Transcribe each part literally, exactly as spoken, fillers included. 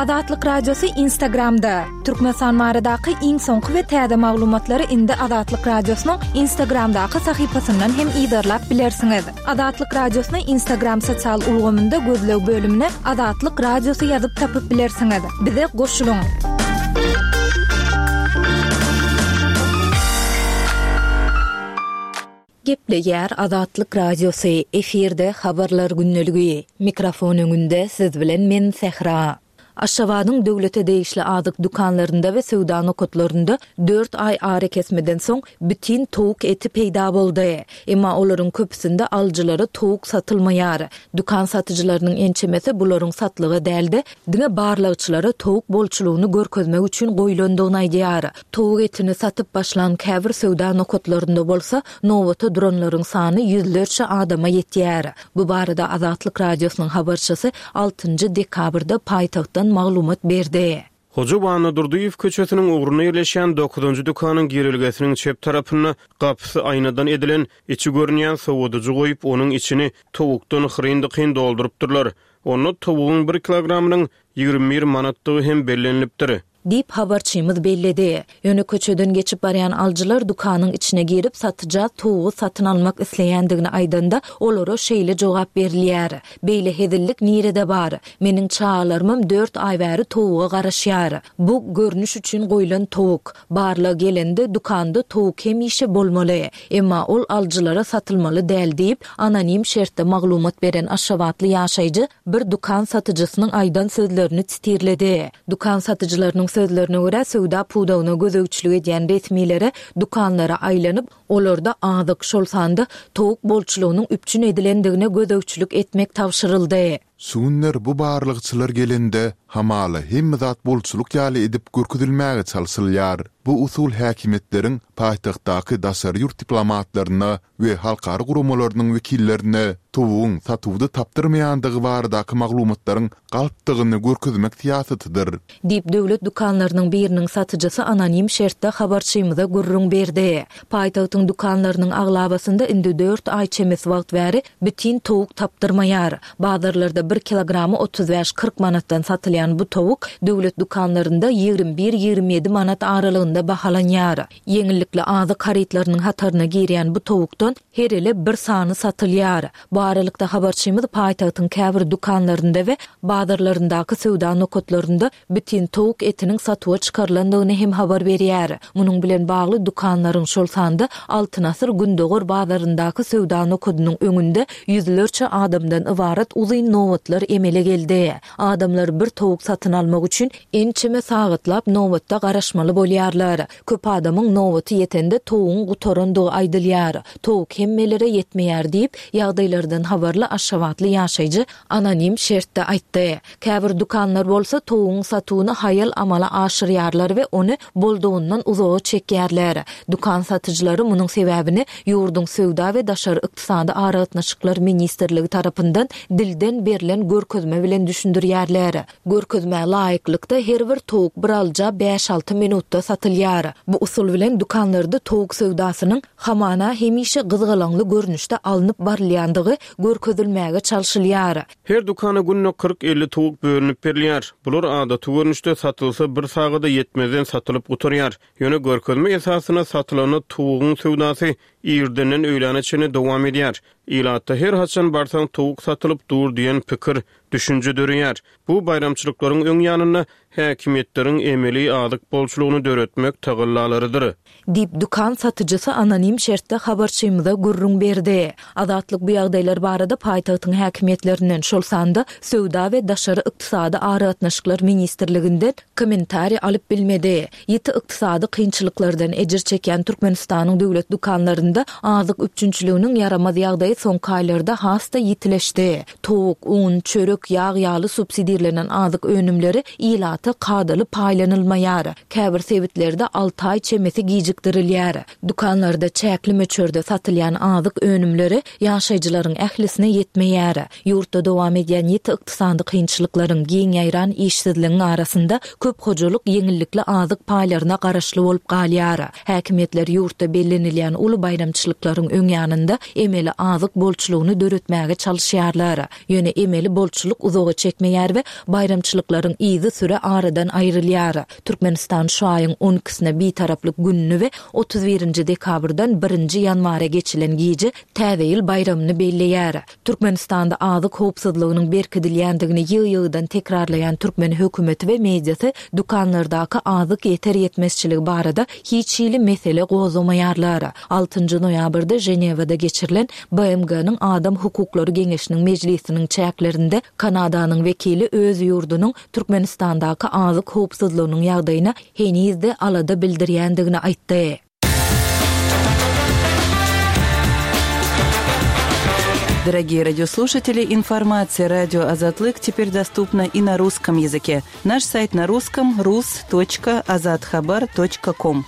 Azatlyk Radiosy Instagramda. Türkmenistan baradaky iň soňky we täze maglumatlary indi Azatlyk Radiosynyň Instagramdaky sahypasyndan hem yzarlap bilersiňiz. Azatlyk Radiosyny Instagram sosial ulgamynda gözleg bölümine Azatlyk Radiosy ýazyp tapyp bilersiňiz. Bize goşulyň. Gepleýär Azatlyk Radiosy, efirde Habarlar gündeligi. Mikrofon öňünde siz bilen men Sähra. Aşgabadyň döwlete degişli azyk dükanlarynda we söwda nokatlarynda dört aý arakesmeden soň bitin towuk eti peýda boldy. Emma olaryň köpüsinde alyjylara towuk satylmaýar. Dükan satyjylarynyň ençemesi bularyň satlyga däl-de, diňe barlagçylara towuk bolçulygyny görkezmek üçin goýlandygyny aýdýar. Towuk etini satyp başlan käbir söwda nokatlarynda bolsa nobata duranlaryň sany ýüzlerçe adama ýetýär. Bu barada Azatlyk Radiosynyň habarçysy altynjy dekabrda paýtagtdan maglumat berdi. Hoja Annadurdyýew köçesiniň ugrunda ýerleşýän dokuzynjy dükanyň girelgesiniň çep tarapynda gapysy aýnadan edilen, içi görünýän sowadyjy goýup, onuň içini towukdan hyryn-dykyn doldurypdyrlar. Onda towugyň bir kilogramynyň ýigrimi bir manatdygy hem bellenilipdir. Diýip, habarçymyz belledi. Ýöne köçeden geçip barýan alyjylar dükanyň içine girip, satyja towugy satyn almak isleýändigini aýdanda, olara şeýle jogap berilýär, Beýle hezillik nirede bar? Meniň çagalarymam dört aý bäri towuga garaşýar. Bu, görnüş üçin goýlan towuk. Barlag gelende, dükanda towuk hemişe bolmaly. Emma ol alyjylara satylmaly däl diýip, anonim şertde maglumat beren aşgabatly ýaşaýjy bir dükan satyjysynyň aýdan sözlerini titirledi. Dükan satyjylarynyň sözlerine görä, söwda pudagyna gözegçilik edýän resmilere dükanlara aýlanyp, olarda azyk, şol sanda towuk bolçulygynyň üpjün edilendigine gözegçilik etmek tabşyryldy. Şu günler bu barlagçylar gelende, hamala hemme zat bolçulyk ýaly edip görkezilmäge çalşylýar. Bu usul häkimiýetleriň paýtagtdaky daşary ýurt diplomatlaryna we halkara guramalarynyň wekillerine towugyň satuwda tapdyrmaýandygy baradaky maglumatlaryň galpdygyny görkezmek syýasatydyr. Diýip, döwlet dükanlarynyň biriniň satyjysy anonim şertde habarçymyza gürrüň berdi. Paýtagtyň dükanlarynyň aglabasynda indi dört aý çemesi wagt bäri bitin towuk tapdyrmaýar. Bazarlarda bir kilogramy otuz bäş-kyrk manatdan satylýan bu towuk döwlet dükanlarynda ýigrimi bir-ýigrimi ýedi manat aralygynda bahalanýar. Ýeňillikli azyk harytlarynyň hataryna girýän bu towukdan her ele bir sany satylýar. Bu aralykda habarçymyz paýtagtyň käbir dükanlarynda we bazarlaryndaky söwda nokatlarynda bitin towuk etiniň satuwa çykarylandygyny hem habar berýär. Munuň bilen bagly dükanlaryň, şol sanda Altyn asyr Gündogar bazaryndaky söwda nokadynyň öňünde ýüzlerçe adamdan ybarat uzyn nobatlar emele geldi. Adamlar bir towuk satyn almak üçin ençeme sagatlap nobatda garaşmaly bolýarlar. Köp adamyň nobaty ýetende towugyň gutarandygy aýdylýar. Towuk hemmelere ýetmeýär diýip, ýagdaýlardan habarly aşgabatly ýaşaýjy anonim şertde aýtdy. Käbir dükanlar bolsa towugyň satuwyny haýal amala aşyrýarlar we ony boldugyndan uzaga çekýärler. Dükan satyjylary munuň sebäbini ýurduň Söwda we daşary ykdysady aragatnaşyklar ministrligi tarapyndan dilden berlen görkezme bilen düşündirýärler. Görkezmä laýyklykda, her bir towuk bir alyja bäş-alty minutda satylýar. Bu usul bilen dükanlarda towuk söwdasynyň hamana hemişe gyzgalaňly görnüşde alnyp barylýandygy görkezilmäge çalşylýar. Her dükana günde kyrk-elli towuk bölünip berilýär. Bular adaty görnüşde satylsa bir sagada ýetmezden satylyp gutarýar. Ýöne görkezme esasynda satylanda towugyň söwdasy irdenden öýläne çenli dowam edýär. Ilatda her haçan barsaň towuk satylyp dur diýen pikir, düşünje döreýär. Bu baýramçylyklaryň öň ýanynda häkimiýetleriň emeli azyk bolçulygyny döretmek tagallalarydyr. Diýip, dükan satyjysy anonim şertde habarçymyza gürrüň berdi. Azatlyk bu ýagdaýlar barada paýtagtyň häkimiýetlerinden, şol sanda Söwda we daşary ykdysady aragatnaşyklar ministrliginden kommentariý alyp bilmedi. Ýiti ykdysady kynçylyklardan ejir çekýän Türkmenistanyň döwlet dükanlarynda azyk üpjünçiliginiň ýaramaz ýagdaýy soňky aýlarda has-da ýitileşdi. Towuk, un, çörek, ýag ýaly subsidirlenen azyk önümleri ilata kadaly paýlanylmaýar. Käbir sebitlerde alty aý çemesi gijikdirilýär. Dükanlarda çäkli möçberde satylýan azyk önümleri ýaşaýjylaryň ählisine ýetmeýär. Ýurtda dowam edýän ýiti ykdysady kynçylyklaryň, giň ýaýran işsizligiň arasynda köp hojalyk ýeňillikli azyk paýlaryna garaşly bolup galýar. Häkimiýetler ýurtda bellenilýän uly baýramçylyklaryň öň ýanynda emeli azyk bolçulygyny döretmäge çalyşýarlar. Ýöne emeli bolçulyk Baýramçylyk uzaga çekmeýär we baýramçylyklaryň yzy süre aradan aýrylýar. Türkmenistan şu aýyň on ikisine bitaraplyk gününi we otuz birinji dekabrdan birinji ýanwara geçilen gije Täze ýyl baýramyny belleýär. Türkmenistanda azyk howpsuzlygynyň berkidilýändigini ýygy-ýygydan tekrarlaýan türkmen hökümeti we mediasy dükanlardaky azyk ýeter ýetmezçiligi barada hiç hili mesele gozgamaýarlar. Altynjy noýabrda Ženewada geçirilen B M G-niň Adam Hukuklary Geňeşiniň mejlisiniň çäklerinde Kanadanyň wekili öz ýurdunyň Türkmenistandaky azyk howpsuzlygynyň ýagdaýyna henizde alada bildirýändigini aýtdy. Дорогие радиослушатели, информация радио Азатлык теперь доступна и на русском языке. Наш сайт на русском рус точка азатхабар точка ком.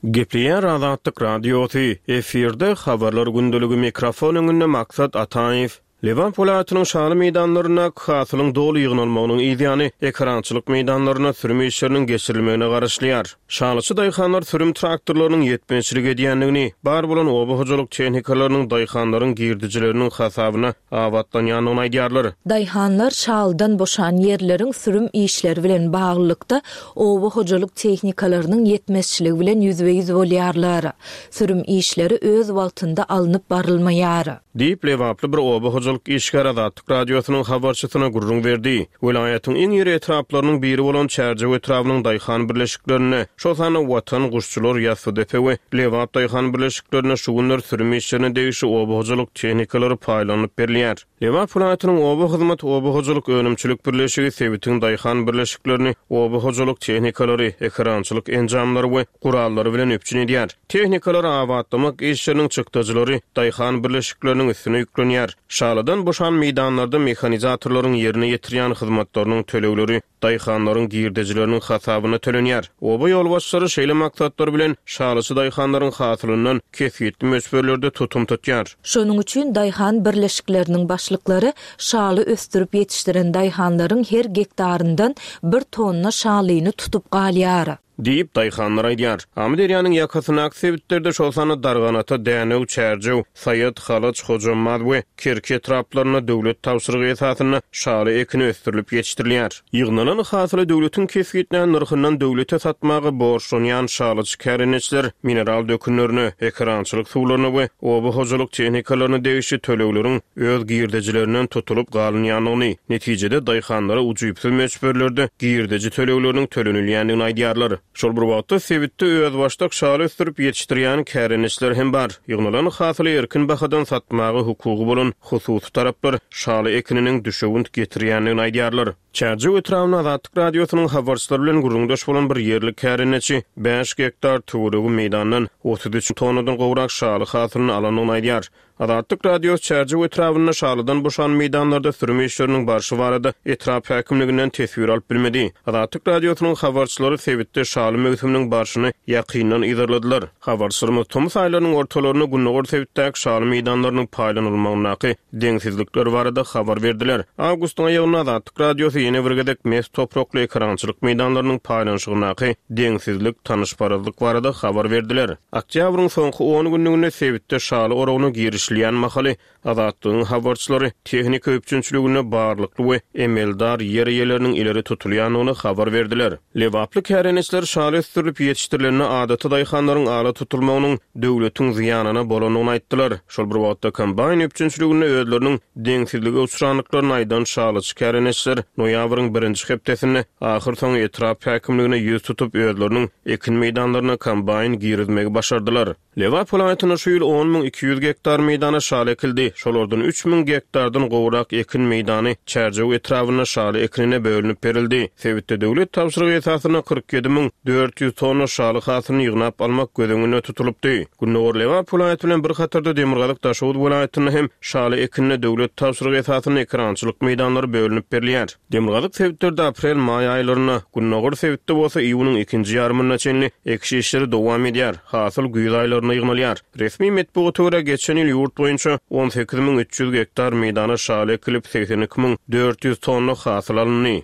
Gepleýär Azatlyk Radiosy, efirde habarlar gündeligi mikrofon öňünde Maksat Ataýew. Lebap welaýatynyň şaly meýdanlarynda hasylyň doly ýygnalmagynyň ýany ekrançylyk meýdanlaryna sürüm işleriniň geçirilmegine garaşylýar. Şalyçy daýhanlar sürüm traktorlarynyň ýetmezçilik edýändigini, bar bolan oba hojalyk tehnikalarynyň daýhanlaryň girdijileriniň hasabyna abatlanýandygyny aýdýarlar. Daýhanlar şalydan boşan ýerleriň sürüm işleri bilen baglylykda oba hojalyk tehnikalarynyň ýetmezçiligi bilen ýüzbe-ýüz bolýarlar. Sürüm işleri öz wagtynda alnyp barylmaýar. Diýip Lebaply bir oba hojalyk işgär Azatlyk Radiosynyň habarçysyna gürrüň berdi. Welaýatyň iň iri etraplarynyň biri bolan Çärjew etrabynyň daýhan birleşiklerinde, şol sanda Watan, Guşçular, Ýassydepe we Lebap daýhan birleşiklerinde şu günler sürüm işlerine degişli oba hojalyk tehnikalary paýlanyp berilýär. Lebap welaýatynyň oba hyzmat, oba hojalyk önümçilik birleşigi sebitiň daýhan birleşiklerini oba hojalyk tehnikalary, ekrançylyk enjamlary we gurallary bilen üpjün edýär. Tehnikalary abatlamak işleriniň çykdajylary daýhan birleşikleriniň üstüne ýüklenýär. Şalydan boşan meýdanlarda mehanizatorlaryň ýerine ýetirýän hyzmatlarynyň tölegleri daýhanlaryň girdejileriniň hasabyna tölenýär. Oba ýolbaşçylary şeýle maksatlar bilen şalyçy daýhanlaryň hasylyndan kesgitli möçberlerde tutum tutýar. Şonuň üçin daýhan birleşikleriniň başlyklary şaly ösdürip ýetişdiren daýhanlaryň her gektaryndan bir tonna şalyny tutup galýar. Diýip daýhanlar aýdýar. Amyderýanyň ýakasyndaky sebitlerde şol sanda Darganata, Dänew, Çärjew, Saýat, Halaç, Hojambaz we Kerki etraplarynda döwlet tabşyrygy esasynda şaly ekini ösdürilip ýetişdirilýär. Ýygnalan hasyly döwletiň kesgitlän nyrhyndan döwlete satmaga borçlanýan şalyçy kärendeçiler mineral dökünlerine, ekrançylyk suwlaryna we oba hojalyk tehnikalaryna degişli tölegleriň öz girdejilerinden tutulyp galynýandygyny, netijede daýhanlara ujypsyz möçberlerde girdeji tölegleriniň tölenilýändigini aýdýarlar. Şol bir wagtda sebitde özbaşdak şaly ösdürip ýetişdirýän kärendeçiler hem bar. Ýygnalan hasyly erkin bahadan satmaga hukugy bolan hususy taraplar şaly ekininiň düşewünt getirýändigini aýdýarlar. Çärjew etrabynyň Azatlyk Radiosynyň habarçylary bilen gürrüňdeş bolan bir ýerli kärendeçi bäş gektar töweregi meýdandan otuz üç tonnadan gowrak şaly hasylyny alandygyny aýdýar. Azatlyk Radiosy Çärjew etrabynda şalydan boşan meýdanlarda sürüm işleriniň barşy barada etrap häkimliginden teswir alyp bilmedi. Azatlyk Radiosynyň habarçylary sebitde şaly möwsüminiň barşyny ýakyndan yzarladylar. Habarçylarymyz tomus aýlarynyň ortalarynda gündogar sebitdäki şaly meýdanlarynyň paýlanylmagyndaky deňsizlikler barada habar berdiler. Awgustyň aýagynda Azatlyk Radiosy ýene bir gezek mes toprakly ekrançylyk meýdanlarynyň paýlanyşygyndaky deňsizlik, tanyşparazlyk barada habar berdiler. Oktýabryň soňky on günlüginde sebitde şaly oragyna girişilýän mahaly Azatlygyň habarçylary tehnika üpjünçiliginde barlykly we emeldar ýer eýeleriniň ileri tutulýandygyny habar berdiler. Lebaply kärendeçiler şaly ösdürilip ýetişdirilende adaty daýhanlaryň ala tutulmagynyň döwletiň zyýanyna bolandygyny aýtdylar. Şol bir wagtda kombaýn üpjünçiliginde özleriniň deňsizlige uçrandyklaryny aýdan şalyçy kärendeçiler noýabryň birinji hepdesinde ahyr soňy etrap häkimligine ýüz tutup özleriniň ekin meýdanlaryna kombaýn girizmegi başardylar. Lebap welaýatynda şu ýyl on müň iki ýüz gektar meýdana şaly ekildi. Şolardan üç müň gektardan gowrak ekin meýdany Çärjew etrabynda şaly ekinine bölünip berildi. Sebitde döwlet tabşyrygy esasynda kyrk ýedi müň dört ýüz tonna şaly hasylyny ýygnap almak göz öňünde tutulypdy. Gündogar Lebap welaýaty bilen bir hatarda Demirgazyk Daşoguz welaýatynda hem şaly ekinine döwlet tabşyrygy esasynda ekrançylyk meýdanlary bölünip berilýär. Demirgazyk sebitlerde aprel-maý aýlarynda, gündogar sebitde bolsa iýunyň ikinji ýarymyna çenli ekiş işleri dowam edýär. Hasyl güýz aýlarynda ýygnalýar. Resmi metbugata görä geçen ýyl ýurt boýunça on sekiz müň üç ýüz gektar meýdana şaly ekilip seksen iki müň dört ýüz tonna hasyl alyndy.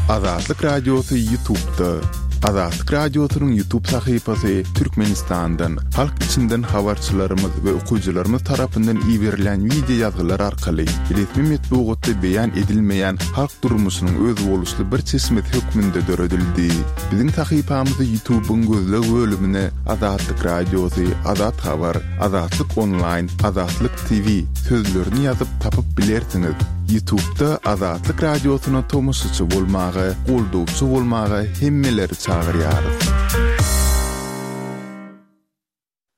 Azatlyk Radiosy YouTube'da. Azatlyk Radiosynyň YouTube sahypasy Türkmenistandan, halk içinden habarçylarymyz we okyjylarymyz tarapyndan iberilen wideo ýazgylar arkaly resmi metbugatda beýan edilmeýän halk durmuşynyň özboluşly bir çeşmesi hökmünde döredildi. Biziň sahypamyzy YouTube'yň gözleg bölümine Azatlyk Radiosy, Azat Habar, Azatlyk Online, Azatlyk T V sözlerini ýazyp tapyp bilersiňiz. YouTube'da Azatlyk Radiosyna tomaşaçy bolmaga, goldawçy bolmaga hemmeleri çagyrýarys.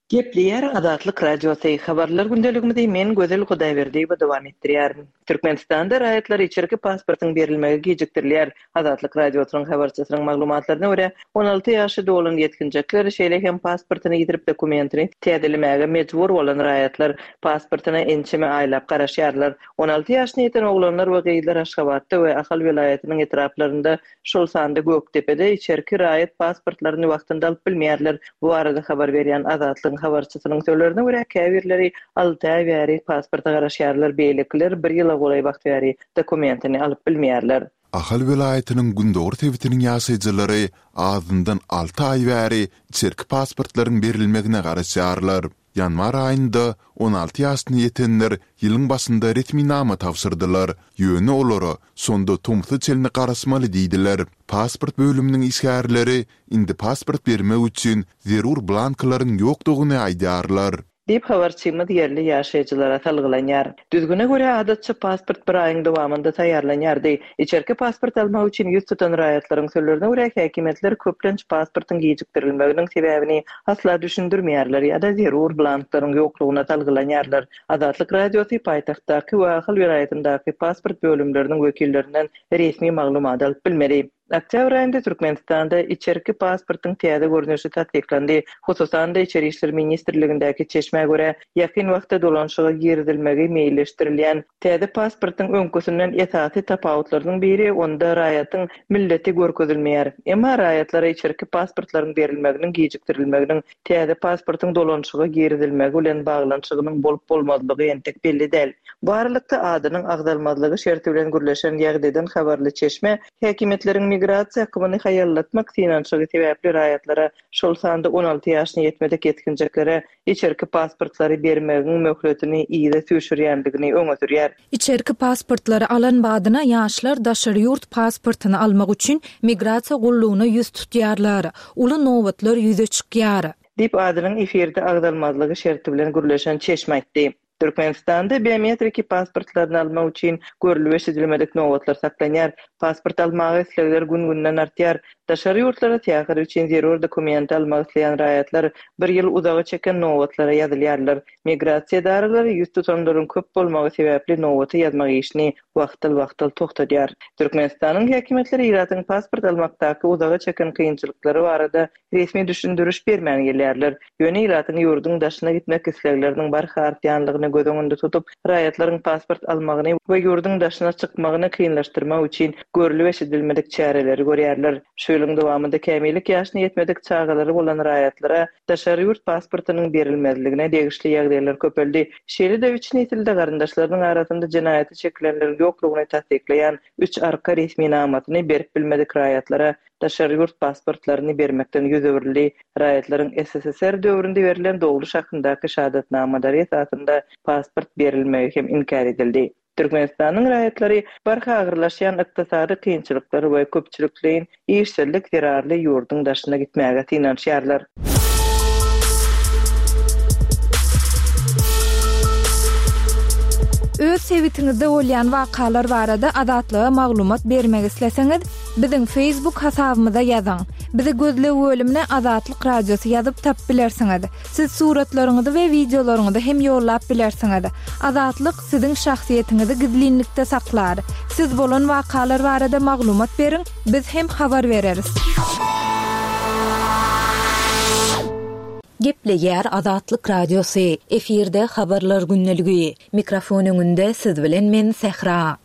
Gepleýär Azatlyk Radiosy. Habarlar gündeligimizi men Gözel Hudaýberdiýewa dowam etdirýärin. Türkmenistanda raýatlara içerki pasportyň berilmegi gijikdirilýär. Azatlyk Radiosynyň habarçysynyň maglumatlaryna görä, on alty ýaşy dolan ýetginjekler, şeýle hem pasportyny ýitirip dokumentini täzelemäge mejbur bolan raýatlar pasportyna ençeme aýlap garaşýarlar. on alty ýaşyna ýeten oglanlar we gyzlar Aşgabatda we Ahal welaýatynyň etraplarynda, şol sanda Gökdepede içerki raýat pasportlaryny wagtynda alyp bilmeýärler. Bu arada habar berýän Azatlygyň habarçysynyň sözlerine görä, käbirleri alty aý bäri pasporta garaşýarlar, beýlekiler bir ýyla golaý wagt bäri dokumentini alyp bilmeýärler. Ahal welaýatynyň Gündogar sebitiniň ýaşaýjylary azyndan alty aý bäri içerki pasportlaryň berilmegine garaşýarlar. Ýanwar aýynda on alty ýaşyna ýetenler ýylyň başynda resminama tabşyrdylar. Ýöne olara şonda tomsa çenli garaşmaly diýdiler. Pasport bölüminiň işgärleri indi pasport bermek üçin zerur blanklaryň ýokdugyny aýdýarlar. Diýip habarçymyz ýerli ýaşaýjylara salgylanýar. Düzgüne görä adatça pasport bir aýyň dowamynda taýýarlanýardy. Içerki pasport almak üçin ýüz tutan raýatlaryň sözlerine görä häkimiýetler köplenç pasportyň gijikdirilmeginiň sebäbini asla düşündirmeýärler ýa-da zerur blanklaryň ýoklugyna salgylanýarlar. Azatlyk Radiosy paýtagtdaky we Ahal welaýatyndaky pasport bölümleriniň wekillerinden resmi maglumat alyp bilmedi. Oktýabr aýynda Türkmenistanda içerki pasportyň täze görnüşi tassyklandy. Hususan-da Içeri İşler Ministrligindäki çeşmä görä ýakyn wagtda dolanşyga girizilmegi meýilleşdirilýän täze pasportyň öňküsinden esasy tapawutlarynyň biri onda raýatyň milleti görkezilmeýär. Emma raýatlara içerki pasportlaryň berilmeginiň gijikdirilmeginiň täze pasportyň dolanşyga girizilmegi bilen baglanyşygynyň bolup bolmazlygy entek belli däl. Bu aralykda adynyň agzalmazlygy şerti bilen gürleşen ýagdaýdan habarly çeşme häkimiýetleriň migrasiýa akymyny haýallatmak synanyşygy sebäpli raýatlara, şol sanda on alty ýaşyna ýetmedik ýetginjeklere içerki pasportlary bermegiň möhletini yza süýşürýändigini öňe sürýär. Içerki pasportlary alan badyna ýaşlar daşary ýurt pasportyny almak üçin migrasiýa gullugyna ýüz tutýarlar. Uly nobatlar ýüze çykýar. Diýip adynyň efirde agzalmazlygy şerti bilen gürleşen çeşme aýtdy. Türkmenistanda biometriki pasportlaryny almak üçin görülip eşidilmedik nobatlar saklanýar. Pasport almaga islegler gün-günden artýar. Daşary ýurtlara syýahat üçin zerur dokument almak isleýän raýatlar bir ýyl uzaga çeken nobatlara ýazylýarlar. Migrasiýa edaralary ýüz tutanlaryň köp bolmagy sebäpli nobaty ýazmak işini wagtal-wagtal toxtadýar. Türkmenistanyň häkimiýetleri ilatyň pasport almakdaky uzaga çeken kynçylyklary barada resmi düşündiriş bermän gelýärler. Ýöne ilatyň ýurduň daşyna gitmek islegleriniň barha artýanlygyny göz öňünde tutup, raýatlaryň pasport almagyny we ýurduň daşyna çykmagyny kynlaşdyrmak üçin görülip eşidilmedik çäreleri görýärler. Şu ýylyň dowamynda kämillik ýaşyna ýetmedik çagalary bolan raýatlara daşary ýurt pasportynyň berilmezligine degişli ýagdaýlar köpeldi. Şeýle-de üç nesilde garyndaşlarynyň arasynda jenaýaty çekilenleriň ýoklugyny tassyklaýan üç arka resminamasyny berip bilmedik raýatlara daşary ýurt pasportlaryny bermekden ýüz öwrüldi. Raýatlaryň S S S R döwründe berlen dogruş hakyndaky şahadatnamalary esasynda pasport berilmegi hem inkär edildi. Türkmenistanyň raýatlary barha agyrlaşýan ykdysady kynçylyklar we köpçülikleýin işsizlik zerarly ýurduň daşyna gitmäge synanyşýarlar. Öz sebitiňizde bolýan wakalar barada Azatlyga maglumat bermek isleseňiz, biziň Facebook hasabymyza ýazyň. Bizi gözleg bölümine Azatlyk Radiosy ýazyp tap bilersiňiz. Siz suratlaryňyzy we wideolaryňyzy hem ýollap bilersiňiz. Azatlyk siziň şahsyýetiňizi gizlinlikde saklar. Siz bolan wakalar barada maglumat beriň, biz hem habar bereris. Gepleýär Azatlyk Radiosy. Efirde habarlar gündeligi. Mikrofon öňünde siz bilen men Sähra.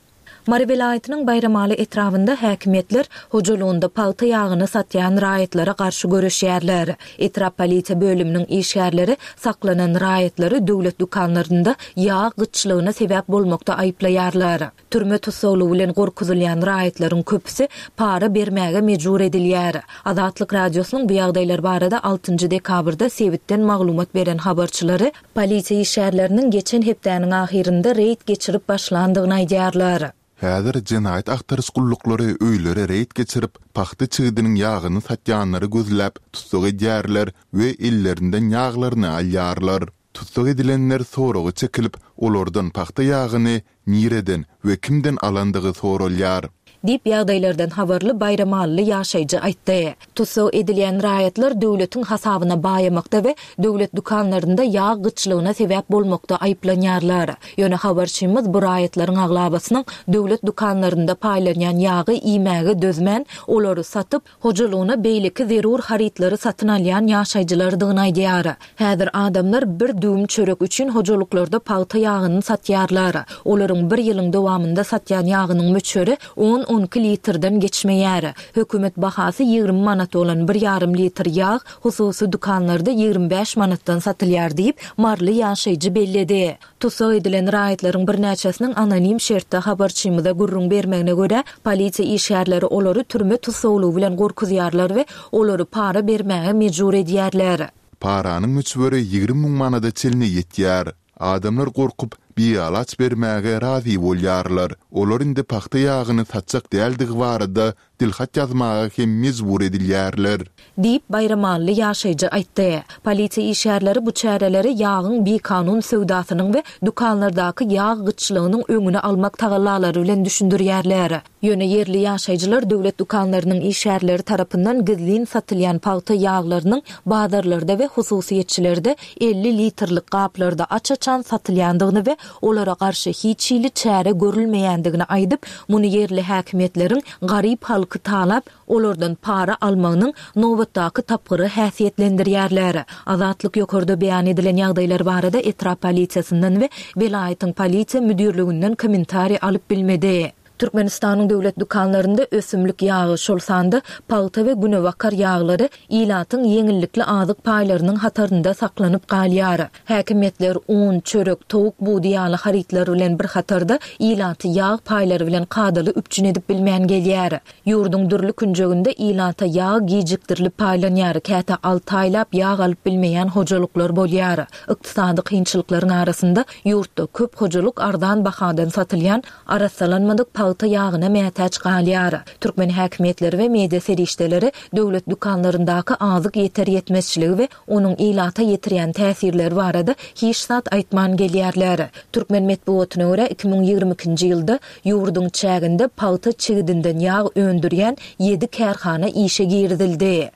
Mary welaýatynyň Baýramaly etrabynda häkimiýetler hojalygynda pagta ýagyny satýan raýatlara garşy göreşýärler. Etrap polisiýa bölüminiň işgärleri saklanan raýatlary döwlet dükanlarynda ýag gytçylygyna sebäp bolmakda aýyplaýarlar. Türme tussaglygy bilen gorkuzylýan raýatlaryň köpüsi para bermäge mejbur edilýär. Azatlyk Radiosynyň bu ýagdaýlar barada altynjy dekabrda sebitden maglumat beren habarçylary polisiýa işgärleriniň geçen hepdäniň ahyrynda reýd geçirip başlandygyny aýdýarlar. Häzir jenaýat agtaryş gulluklary öýlere reýd geçirip, pagta çigidiniň ýagyny satýanlary gözläp, tussag edýärler we ellerinden ýaglaryny alýarlar. Tussag edilenler soraga çekilip, olardan pagta ýagyny nireden we kimden alandygy soralýar. Diýip, ýagdaýlardan habarly baýramalyly ýaşaýjy aýtdy. Tussag edilýän raýatlar döwletiň hasabyna baýamakda we döwlet dükanlarynda ýag gytçylygyna sebäp bolmakda aýyplanýarlar. Ýöne habarçymyz bu raýatlaryň aglabasynyň döwlet dükanlarynda paýlanýan ýagy iýmäge dözmän, olary satyp, hojalygyna beýleki zerur harytlary satyn alýan ýaşaýjylardygyny aýdýar. Häzir adamlar bir düwüm çörek üçin hojalyklarda pagta ýagyny satýarlar. Olaryň bir ýylyň dowamynda satýan ýagynyň möçberi on-on iki litrden geçmeýär. Hökümet bahasy ýigrimi manat bolan bir ýarym litr ýag hususy dükanlarda ýigrimi bäş manatdan satylýar diýip, maryly ýaşaýjy belledi. Tussag edilen raýatlaryň birnäçesiniň anonim şertde habarçymyza gürrüň bermegine görä, polisiýa işgärleri olary türme tussaglygy bilen gorkuzýarlar we olary para bermäge mejbur edýärler. Paranyň möçberi ýigrimi müň manada çenli ýetýär. Adamlar gorkup, bialaç bermäge razy bolýarlar. Olar indi pagta ýagyny satjak däldigi barada dilhat ýazmaga hem mejbur edilýärler. Diýip, baýramally ýaşaýjy aýtdy. Polisiýa işgärleri bu çäreleri ýagyň bikanun söwdasynyň we dükanlardaky ýag gytçylygynyň öňüni almak tagallalary bilen düşündirýärler. Ýöne ýerli ýaşaýjylar döwlet dükanlarynyň işgärleri tarapyndan gizlin satylýan pagta ýaglarynyň bazarlarda we hususyýetçilerde elli litrlik gaplarda aç-açan satylýandygyny we olara garşy hiç hili çäre görülmeýändigini aýdyp, muny ýerli häkimiýetleriň garyp halky talap, olardan para almagynyň nobatdaky tapgyry häsiýetlendirýärler. Azatlyk ýokarda beýan edilen ýagdaýlar barada etrap polisiýasyndan we welaýatyň polisiýa müdirliginden kommentariý alyp bilmedi. Türkmenistanyň döwlet dükanlarynda ösümlik ýagy, şol sanda pagta we günebakar ýaglary ilatyň ýeňillikli azyk paýlarynyň hatarynda saklanyp galýar. Häkimiýetler un, çörek, towuk budy ýaly harytlar bilen bir hatarda ilaty ýag paýlary bilen kadaly üpjün edip bilmän gelýär. Ýurduň dürli künjeginde ilata ýag gijikdirilip paýlanýar, käte alty aýlap ýag alyp bilmeýän hojalyklar bolýar. Ykdysady kynçylyklaryň arasynda ýurtda köp hojalyk arzan bahadan satylýan arassalanmadyk pagta ýagyna mätäç galýar. Türkmen häkimiýetleri we media serişdeleri döwlet dükanlaryndaky azyk ýeter ýetmezçiligi we onuň ilata ýetirýän täsirleri barada hiç zat aýtman gelýärler. Türkmen metbugatyna görä iki müň ýigrimi ikinji ýylda ýurduň çäginde pagta çigidinden ýag öndürýän ýedi kärhana işe girizildi.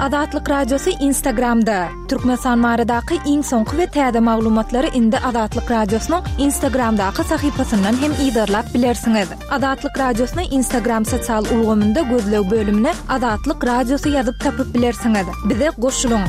Azatlyk Radiosy Instagramda. Türkmenistan baradaky iň soňky we täze maglumatlary indi Azatlyk Radiosynyň Instagramdaky sahypasyndan hem yzarlap bilersiňiz. Azatlyk Radiosyny Instagram sosial ulgamynda gözleg bölümine Azatlyk Radiosy ýazyp tapyp bilersiňiz. Bize goşulyň.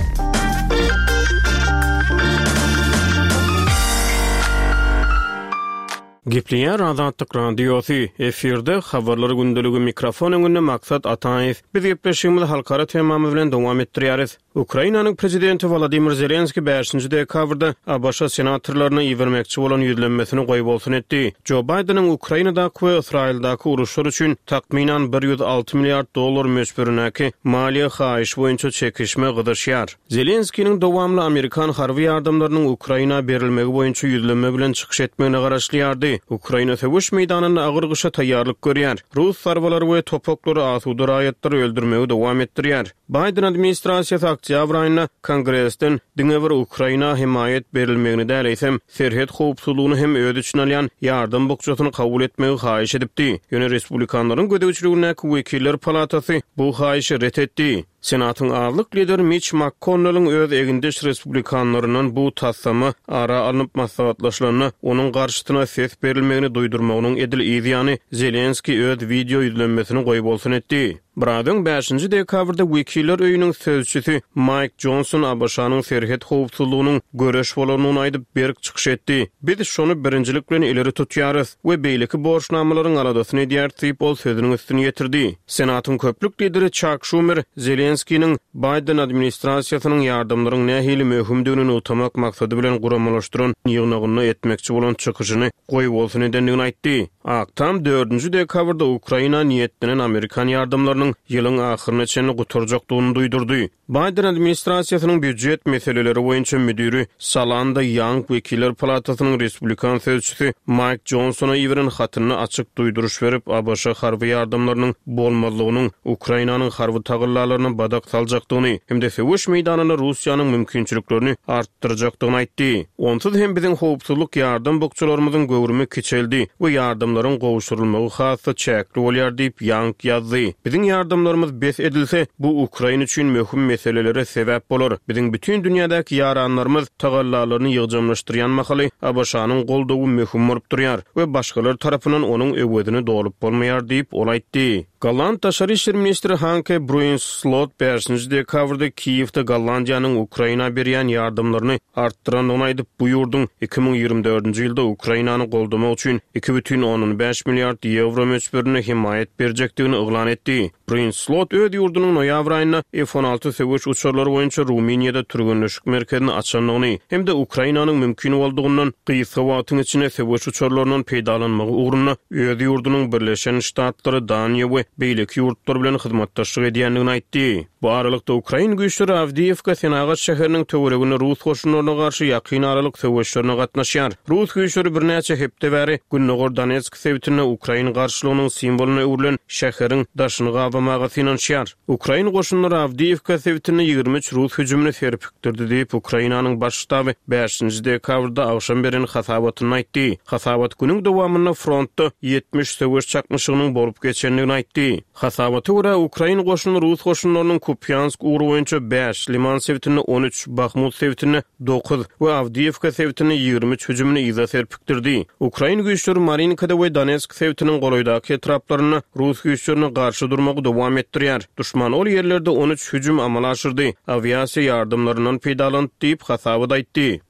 Gepleýär Azatlyk Radiosy, efirde Habarlar gündeligi, mikrofon öňünde Maksat Ataýew. Biz gepleşigimizi halkara temamyz bilen dowam etdirýäris. Ukrainanyň prezidenti Wolodymyr Zelenski bäşinji dekabrda A B Ş senatorlaryna ibermekçi bolan ýüzlenmesini goýbolsun etdi. Jo Baýdeniň Ukrainadaky we Ysraýyldaky uruşlar üçin takmynan bir ýüz alty milliard dollar möçberindäki maliýe haýyşy boýunça çekişme gyzyşýar. Zelenskiniň dowamly amerikan harby ýardamlarynyň Ukraina berilmegi boýunça ýüzlenme bilen çykyş etmegine garaşylýardy. Ukraina söweş meýdanynda agyr gyşa taýýarlyk görýär. Rus zarbalary we topaklary asuda raýatlary öldürmegi dowam etdirýär. Biden administrasiýasy oktýabr aýynda Kongresden diňe bir Ukraina hemaýat berilmegini däl, eýsem serhet howpsuzlygyny hem öz içine alýan ýardam bukjasyny kabul etmegi haýyş edipdi. Ýöne respublikanlaryň gözegçiligindäki wekiller palatasy bu haýyşy ret etdi. Senatyň azlyk lideri Mitch McConnell'ın öz egindeş respublikanlaryndan bu taslama ara alnyp maslahatlaşylanda onuň garşysyna ses berilmegini duýdurmagynyň edil yz ýany Zelenski öz wideo ýüzlenmesini goýbolsun etdi. Biraz öň bäşinji dekabrda Wekiller öýüniň sözçüsi Maýk Jonson ABŞ-nyň serhet howpsuzlygynyň göreş bolandygyny aýdyp, berk çykyş etdi. Biz şony birinjilik bilen ileri tutýarys we beýleki borçnamalaryň aladasyny edýäris diýip, ol sözüniň üstüni ýetirdi. Senatyň köplük lideri Çak Şumer Zelenskiniň Baýden administrasiýasynyň ýardamlaryň nähili möhümdigini nygtamak maksady bilen guramalaşdyran ýygnagynda etmekçi bolan çykyşyny goýbolsun edendigini aýtdy. Ak Tam dördünji dekabrda Ukraina niýetlenen amerikan ýardamlarynyň ýylyň ahyryna çenli gutarjakdygyny duýdurdy. Baýden administrasiýasynyň býujet meseleleri boýunça müdiri Salanda Ýang Wekiller palatasynyň respublikan sözçüsi Maýk Jonsona iberen hatynda açyk duýduryş berip, ABŞ harby ýardamlarynyň bolmazlygynyň Ukrainanyň harby tagallalaryna badak saljakdygyny hem-de söweş meýdanynda Russiýanyň mümkinçiliklerini artdyrjakdygyny aýtdy. Onsuz hem biziň howpsuzlyk ýardam bukjalarymyzyň göwrümi kiçeldi we ýardamlaryň gowşurylmagy has-da çäkli bolýar diýip, Ýang ýazdy. Biziň ýardamlarymyz bes edilse, bu Ukraina üçin möhüm meselelere sebäp bolar. Biziň bütin dünýädäki ýaranlarymyz tagallalaryny ýygjamlaşdyrýan mahaly ABŞ-nyň goldawy möhüm bolup durýar we başgalar tarapyndan onuň öwezini dolup bolmaýar diýip, ol aýtdy. Golland daşary işler ministri Hanke Bruins Slot bäşinji dekabrda Kiýewde Gollandiýanyň Ukraina berýän ýardamlaryny artdyrandygyny aýdyp, bu ýurduň iki müň ýigrimi dördünji ýylda Ukrainany goldamak üçin iki bütin ondan bäş milliard ýewro möçberinde hemaýat berjekdigini yglan etdi. Bruins Slot öz ýurdunyň noýabr aýynda F on alty söweş uçarlary boýunça Rumyniýada türgenleşik merkezini açandygyny hem-de Ukrainanyň mümkin boldugyndan gysga wagtyň içinde söweş uçarlaryndan peýdalanmagy ugrunda öz ýurdunyň Birleşen Ştatlary, Daniýa we beýleki ýurtlar bilen hyzmatdaşlyk edýändigini aýtdy. Bu aralykda ukrain güýçleri Awdiýewka senagat şäheriniň töwereginde rus goşunlaryna garşy ýakyn aralyk söweşlerine gatnaşýar. Rus güýçleri birnäçe hepde bäri Gündogar Donetsk sebitinde ukrain garşylygynyň simwolyna öwrülen şäheriň daşyny gabamaga synanyşýar. Ukrain goşunlary Awdiýewka sebitinde ýigrimi üç rus hüjümini serpikdirdi diýip, Ukrainanyň baş ştaby bäşinji dekabrda agşam beren hasabatynda aýtdy. Hasabat günüň dowamynda frontda ýetmiş söweş çaknyşygynyň bolup geçendigini aýtdy. Hasabata görä, ukrain goşuny rus goşunlarynyň Kupýansk ugry boýunça bäş, Liman sebitinde on üç, Bahmut sebitinde dokuz we Awdiýewka sebitinde ýigrimi üç hüjümini yza serpikdirdi. Ukrain güýçleri Marinkada we Donetsk sebitiniň golaýdaky etraplarynda rus güýçlerine garşy durmagy dowam etdirýär. Duşman ol ýerlerde on üç hüjüm amala aşyrdy, awiasiýa ýardamlaryndan peýdalandy diýip hasabat aýtdy.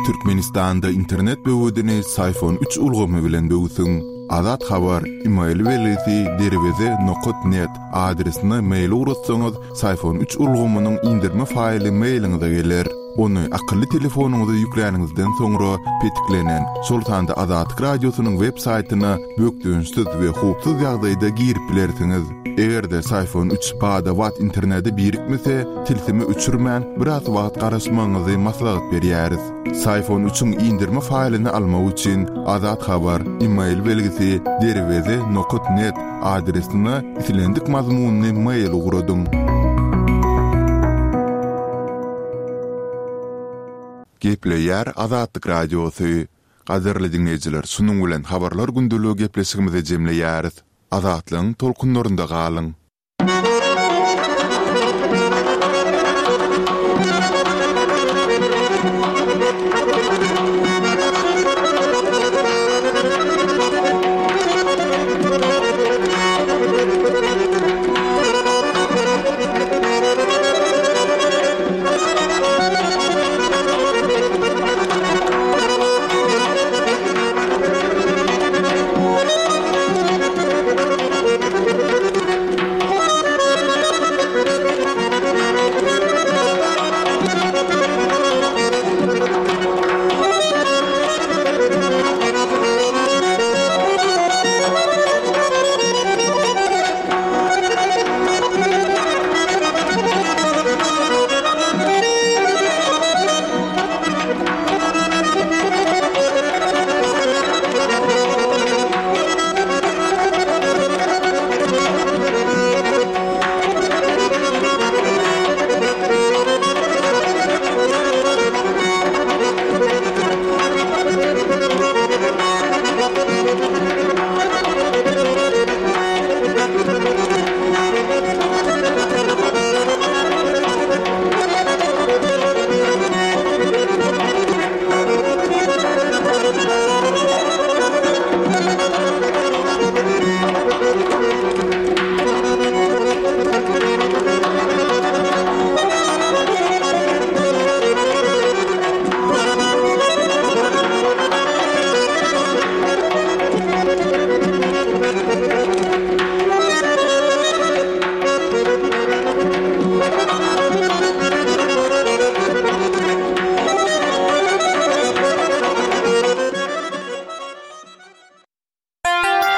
Türkmenistanda internet böwedini Syfon üç ulgamy bilen böwsüň. Azat Habar, email belgisi derweze nokat net adresine mail ugratsaňyz, Syfon üç ulgamynyň indirme faýly mailiňize geler. Ony akylly telefonyňyza ýükläniňizden soňra petiklenen, şol sanda Azatlyk Radiosynyň web saýtyna bökdençsiz we howpsuz ýagdaýda girip bilersiňiz. Eger-de Syfon üç bada-bat internete birikmese, tilsimi öçürmän biraz wagt garaşmagyňyzy maslahat berýäris. Syfon üçiň indirme faýlyny almak üçin Azat Habar, email belgisi derweze nokat net adresine islendik mazmunyny mail ugradyň. Gepleýär Azatlyk Radiosy. Gadyrly dinleýjiler, şunuň bilen habarlar gündeligi gepleşigimizi jemleýäris. Azatlygyň tolkunlarynda galyň.